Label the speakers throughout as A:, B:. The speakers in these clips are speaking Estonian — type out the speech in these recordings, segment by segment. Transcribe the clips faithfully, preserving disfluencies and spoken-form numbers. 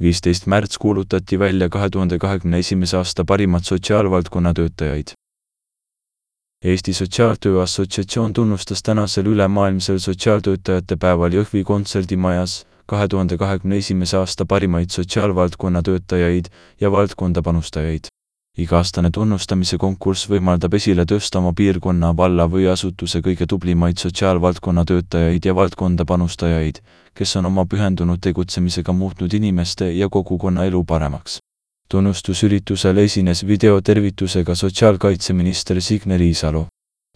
A: viisteist märts kuulutati välja kahe tuhande kahekümne esimese aasta parimad sotsiaalvaldkonna töötajaid. Eesti Sotsiaaltöö Assotsiatsioon tunnustas tänasel ülemaailmsel sotsiaaltöötajate päeval Jõhvi kontserdimajas kahe tuhande kahekümne esimese aasta parimaid sotsiaalvaldkonna töötajaid ja valdkonda panustajaid. Iga-aastane tunnustamise konkurss võimaldab esile tõsta oma piirkonna, valla või asutuse kõige tublimaid sotsiaalvaldkonna töötajaid ja valdkonda panustajaid, kes on oma pühendunud tegutsemisega muutnud inimeste ja kogukonna elu paremaks. Tunnustusüritusel esines videotervitusega sotsiaalkaitseminister Signe Riisalo.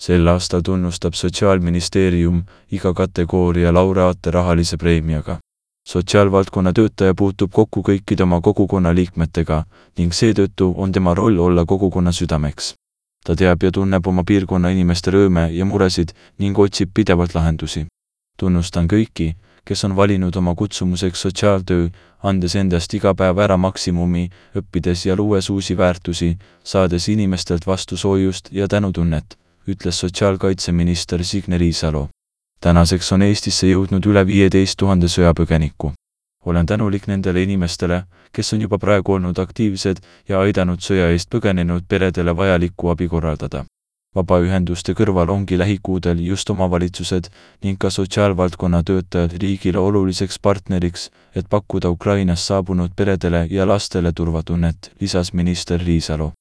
A: Sel aastal tunnustab Sotsiaalministeerium iga kategooria laureaate rahalise preemiaga. Sotsiaalvaldkonna töötaja puutub kokku kõikide oma kogukonna liikmetega ning seetõttu on tema roll olla kogukonna südameks. Ta teab ja tunneb oma piirkonna inimeste rõõme ja muresid ning otsib pidevalt lahendusi. Tunnustan kõiki, kes on valinud oma kutsumuseks sotsiaaltöö, andes endast iga päev ära maksimumi, õppides ja luues uusi väärtusi, saades inimestelt vastu soojust ja tänutunnet, ütles sotsiaalkaitseminister Signe Riisalo. Tänaseks on Eestisse jõudnud üle viieteist tuhande sõjapõgeniku. Olen tänulik nendele inimestele, kes on juba praegu olnud aktiivsed ja aidanud sõja eest põgenenud peredele vajalikku abi korraldada. Vabaühenduste kõrval ongi lähikuudel just omavalitsused ning ka sotsiaalvaldkonna töötajad riigile oluliseks partneriks, et pakkuda Ukrainast saabunud peredele ja lastele turvatunnet, lisas minister Riisalo.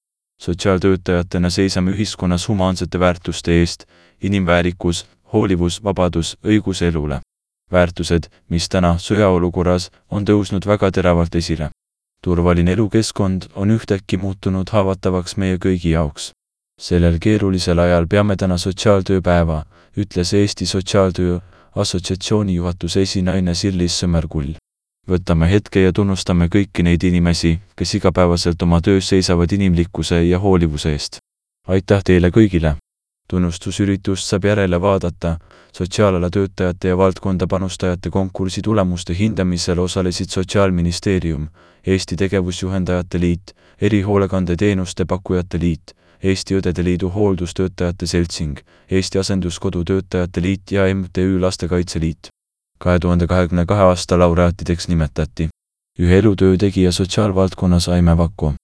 A: Sotsiaaltöötajatena seisame ühiskonnas humaansete väärtuste eest, inimväärikus, hoolivus, vabadus, õigus elule. Väärtused, mis täna sõjaolukorras on tõusnud väga teravalt esile. Turvaline elukeskkond on ühtäkki muutunud haavatavaks meie kõigi jaoks. Sellel keerulisel ajal peame täna sotsiaaltööpäeva, ütles Eesti Sotsiaaltöö Assotsiatsiooni juhatuse esinaine Sirlis Sõmerkull. Võtame hetke ja tunnustame kõiki neid inimesi, kes igapäevaselt oma töös seisavad inimlikkuse ja hoolivuse eest. Aitäh teile kõigile! Tunnustusüritust saab järele vaadata. Sotsiaalala töötajate ja valdkonda panustajate konkursi tulemuste hindamisel osalesid Sotsiaalministeerium, Eesti Tegevusjuhendajate Liit, Erihoolekandeteenuste Pakkujate Liit, Eesti Õdede Liidu Hooldustöötajate Seltsing, Eesti Asenduskodu Töötajate Liit ja M T Ü Lastekaitse Liit. kahe tuhande kahekümne kahe aasta laureaatideks nimetati ühe elutöö tegija sotsiaalvaldkonnas Aime Vako,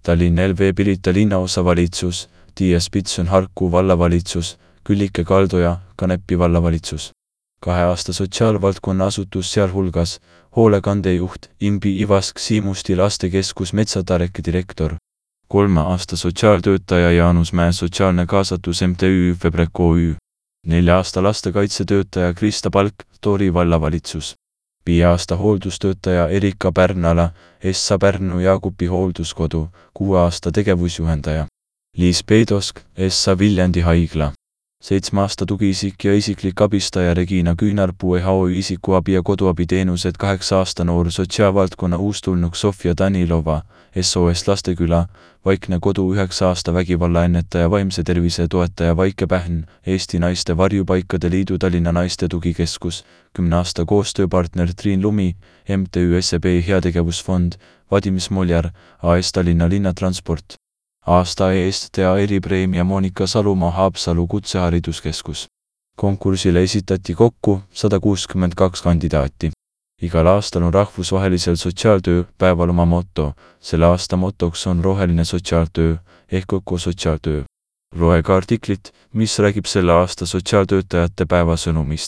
A: Tallinna L V Pirita linnaosavalitsus, Tiia Spitson Harku vallavalitsus, Küllike Kaldoja, Kanepi vallavalitsus. Kahe aasta sotsiaalvaldkonna asutus sealhulgas hoolekandejuht Imbi Ivask Siimusti lastekeskus Metsatareki direktor. Kolme aasta sotsiaaltöötaja Jaanus Mäe sotsiaalne kaasatus M T Ü Febrek O Ü. Nelja aasta lastekaitsetöötaja Krista Palk, Tori vallavalitsus. Viie aasta hooldustöötaja Erika Pärnala, Essa Pärnu Jaagupi hoolduskodu, kuue aasta tegevusjuhendaja Liis Peidosk, Essa Viljandi haigla. Seitsme aasta tugiisik ja isiklik abistaja Regina Küünarpuu E H O isikuabi ja koduabiteenused kaheksa aasta noor sotsiaalvaldkonna uustulnuk Sofia Danilova, S O S Lasteküla, Vaikne kodu üheksa aasta vägivallaennetaja vaimse tervise toetaja Vaike Pähn, Eesti Naiste Varjupaikade Liidu Tallinna Naiste Tugikeskus, kümne aasta koostööpartner Triin Lumi, M T Ü S E B Heategevusfond, Vadim Smoljar, A S Tallinna Linnatransport. Aasta eest tea eripreemia Monika Salumaa Haapsalu kutsehariduskeskus. Konkursile esitati kokku sada kuuskümmend kaks kandidaati. Igal aastal on rahvusvahelisel sotsiaaltöö päeval oma motto. Selle aasta motoks on roheline sotsiaaltöö ehk ökosotsiaaltöö. Loe ka artiklit, mis räägib selle aasta sotsiaaltöötajate päeva sõnumist.